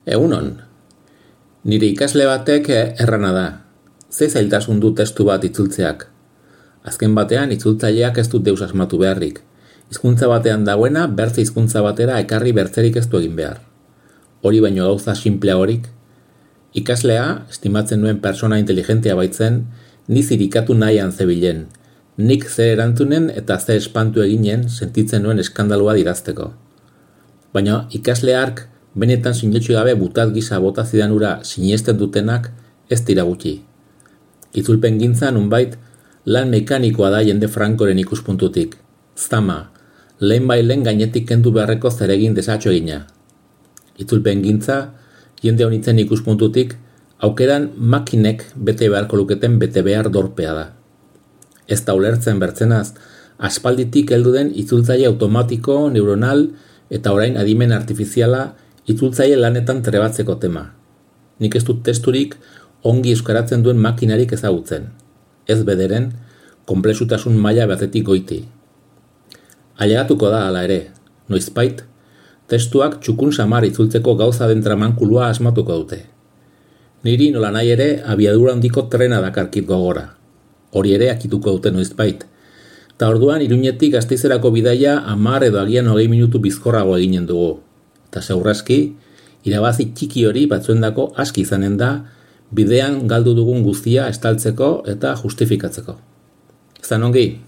Egunon, nire ikasle batek errana da. Ze zailtasun du testu bat itzultzeak. Azken batean itzultzaileak ez dut deus asmatu beharrik. Hizkuntza batean dagoena bertze hizkuntza batera ekarri bertzerik ez du egin behar. Hori baino gauza sinpleagorik. Ikaslea, estimatzen nuen persona inteligentea baitzen, ni zirikatu nahian zebilen. Nik ze erantzunen eta ze espantu eginen sentitzen nuen eskandalua dirazteko. Baina ikasle hark benetan sinetxu gabe butat gisa bota zidan ura sinesten dutenak ez dira gutxi. Itzulpen gintza nunbait lan mekanikoa da jende frankoren ikuspuntutik. Zama, lehen gainetik kendu beharreko zeregin desatxo egina. Itzulpen gintza, jende honitzen ikuspuntutik, aukeran makinek bete beharko luketen bete behar dorpea da. Ez da ulertzen bertzenaz, aspalditik heldu den itzultzaile automatiko, neuronal eta orain adimen artifiziala itzultzaile lanetan trebatzeko tema. Nik ez dut testurik ongi euskaratzen duen makinarik ezagutzen. Ez bederen, konplexutasun maila batetik goiti. Ailegatuko da hala ere, noizbait, testuak txukun samar itzultzeko gauza den tramankulua asmatuko dute. Niri nola nahi ere abiadura handiko trena dakarkit gogora. Hori ere akituko dute noizbait. Ta orduan Iruñetik Gasteizerako bidaia 10 edo agian 20 minutu bizkorrago eginen dugu. Eta seguraski, irabazi txiki hori batzuendako aski izanen da, bidean galdu dugun guztia estaltzeko eta justifikatzeko. Ezan ongi?